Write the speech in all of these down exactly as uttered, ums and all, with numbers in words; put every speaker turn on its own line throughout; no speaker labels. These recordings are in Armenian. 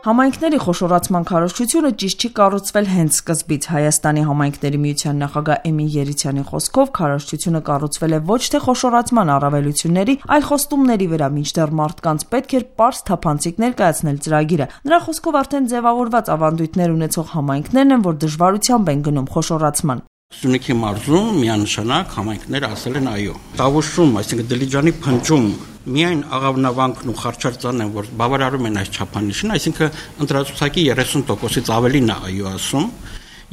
Համայնքների խոշորացման քարոզչությունը ճիշտ չի կառուցվել հենց սկզբից։ Հայաստանի համայնքների միության նախագահ Էմին Երիցյանի խոսքով քարոզչությունը կառուցվել է ոչ թե խոշորացման առավելությունների, այլ խոստումների վրա, մինչդեռ մարդկանց պետք էր պարզ թափանցիկ ներկայացնել ծրագիրը։ Նրա խոսքով արդեն ձևավորված ավանդույթներ ունեցող համայնքներն են, որ դժվարությամբ են գնում խոշորացման։
Սյունիքի մարզում միանշանակ համայնքները ասել են այո։ Տավուշում, այսինքն Դիլիջանի փնջում միայն Աղավնավանքն ու Խարչարձանն են, որ բավարարում են այս չափանիշին, այսինքն ընտրացուցակի երեսուն տոկոսից ավելին է այո ասում,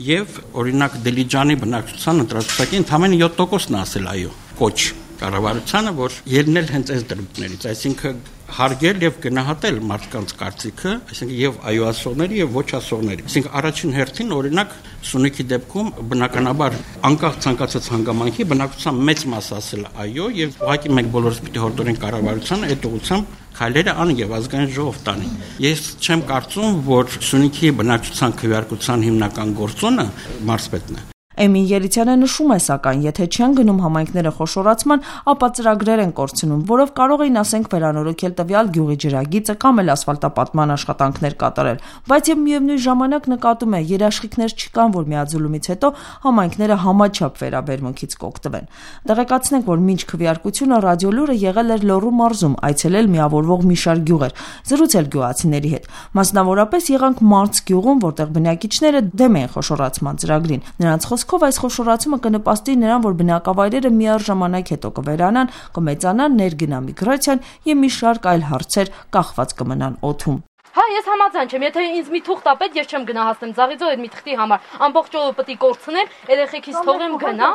եւ օրինակ Դիլիջանի բնակչության ընտրացուցակի ընդամենը յոթ տոկոսն է ասել այո։ Կոչ կառավարությանը, որ ելնել հենց այս դրույթներից, այսինքն հարգել եւ գնահատել մարդկանց կարծիքը, այսինքն եւ այո ասողների եւ ոչ ասողների։ Այսինքն առաջին հերթին օրինակ Սյունիքի դեպքում բնականաբար անկախ ցանկացած հանգամանքի բնակչության մեծ մասը ասել այո եւ ուղղակի մենք բոլորս պիտի հորդորենք կառավարությանը այդ ուղղությամբ քայլերը ան եւ ազգային ժողով տանի։ Ես չեմ կարծում, որ Սյունիքի բնակչության քվեարկության հիմնական գործոնը մարզպետն է։
Էմին Երիցյանը նշում է, սակայն, եթե չեն գնում համայնքները խոշորացման, ապա ծրագրեր են կորցնում, որով կարող էին, ասենք, վերանորոգել տվյալ գյուղի ջրագիծը կամ էլ ասֆալտապատման աշխատանքներ կատարել, բայց եւ միևնույն ժամանակ նկատում է, երաշխիքներ չկան, որ միաձուլումից հետո համայնքները համաչափ վերաբերմունքից կօգտվեն։ Տեղեկացնենք, որ մինչ քվեարկությունը ռադիոլուրը եղել էր Լոռու մարզում, այցելել միավորվող մի շարք գյուղեր, զրուցել գյուղացիների հետ։ Մասնավորապես եղանք Մարց գյուղում, որտեղ բնակիչները դեմ էին խոշորացման ծրագրին։ Նրանց Խոսքով այս խոշորացումը կնպաստի նրան, որ բնակավայրերը միառժամանակ հետո կվերանան, կմեծանան ներգնա միգրացիան եւ մի շարք այլ հարցեր կախված կմնան օդում։
Հա, ես համաձայն չեմ, եթե ինձ մի թուղթ տա պետք, ես չեմ գնահատեմ Ձաղիձոր այդ մի թղթի համար։ Ամբողջ օրը պետք է կորցնեմ, երեխեքից թողեմ գնա։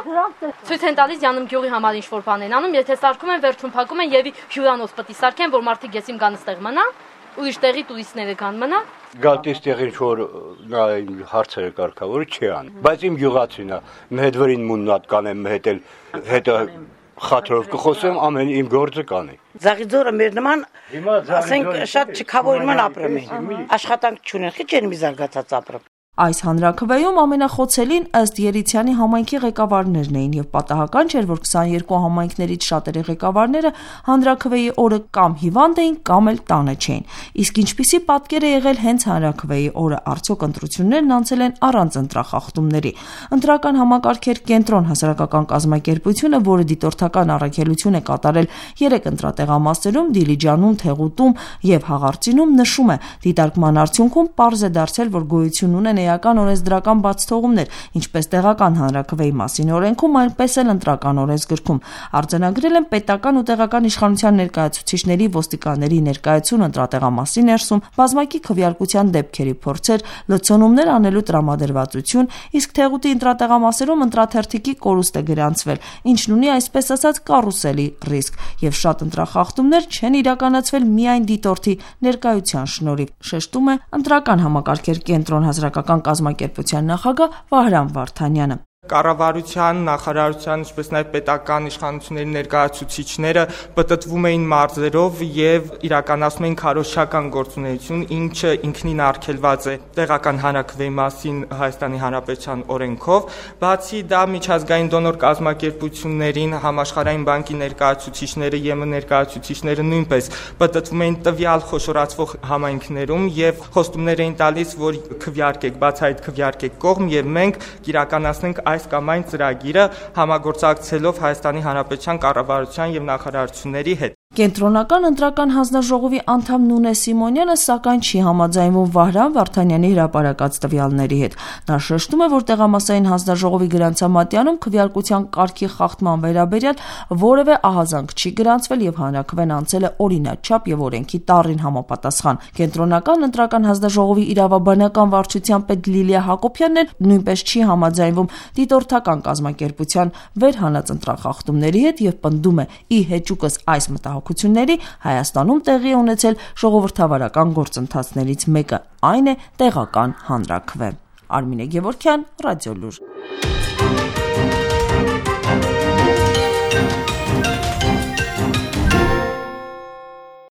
Ցույց են տալիս Յանում գյուղի համար ինչ-որ բան են անում, եթե սարքում են, վերջում փակում են եւ հյուրանոց պետք է սարքեն, որ մարդիկ եսիմ գան ստեղ մնա, ուրիշ տեղի տուրիստները կան մնա։
Գալտիս տեղին որ նա հարցերը կարգավորը չի ան, բայց իմ գյուղացին է, մի հետ վրին մուննատ կանեմ, մի հետ էլ հետը խաթրով կխոսեմ, ամեն իմ գործը կանի։
Ձաղիձորը մեր նման, ասենք, շատ չքավորման ապրում են, աշխատանք չունեն, խիչ են մի զարգացած ապրում։
Այս հանրաքվեում ամենախոցելին ըստ Երիցյանի համայնքի ղեկավարներն էին եւ պատահական չէր, որ քսաներկու համայնքներից շատերի ղեկավարները հանրաքվեի օրը կամ հիվանդ էին, կամ էլ տանը չէին։ Իսկ ինչպիսի պատկեր է եղել հենց հանրաքվեի օրը, արդյոք ընտրություններն անցել են առանց ընտրախախտումների։ Ընտրական համակարգեր կենտրոն հասարակական կազմակերպությունը, որը դիտորդական առաքելություն է կատարել երեք ընտրատեղամասերում՝ Դիլիջանում, Թեղուտում եւ Հաղարծինում, նշում է, դիտարկման արդյունքում պարզ է դարձել, որ գոյություն ունեն էական օրենսդրական բացթողումներ, ինչպես տեղական հանրաքվեի մասին օրենքում, այնպես էլ ընտրական օրենսգրքում։ Արձանագրել են պետական ու տեղական իշխանության ներկայացուցիչների, ոստիկանների ներկայություն ընտրատեղամասի ներսում, բազմակի քվեարկության դեպքերի փորձեր, լցոնումներ անելու տրամադրվածություն, իսկ Թեղուտի ընտրատեղամասերում ընտրաթերթիկի կորուստ է գրանցվել, ինչն ունի այսպես ասած կարուսելի ռիսկ, եւ շատ ընտրախախտումներ չեն իրականացվել միայն դիտորդի ներկայության շնորհիվ, շեշտում է ընտրական համակարգեր կենտրոն հասարակական կազմակերպության նախագահ Վահրամ Վարդանյանը։
Կառավարության, նախարարության, ինչպես նաև պետական իշխանությունների ներկայացուցիչները պտտվում էին մարզերով եւ իրականացնում էին քարոզչական գործունեություն, ինչը ինքնին արգելված է տեղական հանրաքվեի մասին Հայաստանի Հանրապետության օրենքով, բացի դա միջազգային դոնոր կազմակերպություններին, համաշխարհային բանկի ներկայացուցիչները, ԵՄ ներկայացուցիչները նույնպես պտտվում էին տվյալ խոշորացվող համայնքներում եւ խոստումներ էին տալիս, որ քվեարկեք, բացահայտ քվեարկեք կողմ եւ մենք կիրականացնենք այս կամ այն ծրագիրը համագործակցելով Հայաստանի Հանրապետության կառավարության եւ նախարարությունների հետ։
Կենտրոնական ընտրական հանձնաժողովի անդամ Նունե Սիմոնյանը սակայն չի համաձայնվում Վահրամ Վարդանյանի հրապարակած տվյալների հետ։ Նա շեշտում է, որ տեղամասային հանձնաժողովի գրանցամատյանում քվեարկության կարգի խախտման վերաբերյալ որևէ ահազանգ չի գրանցվել եւ հանրաքվեն անցել է օրինաչափ եւ օրենքի տառին համապատասխան։ Կենտրոնական ընտրական հանձնաժողովի իրավաբանական վարչության պետ Լիլիա Հակոբյանն էլ նույնպես չի համաձայնվում դիտորդական կազմակերպության վերհանած ընտրախախտումների հետ եւ պնդում է՝ ի հեճուկս այս մտահոգությունների Հայաստանում տեղի է ունեցել ժողովրդավարական գործընթացներից մեկը, այն է տեղական հանրաքվե։ Արմինե Գևորգյան, Ռադիոլուր։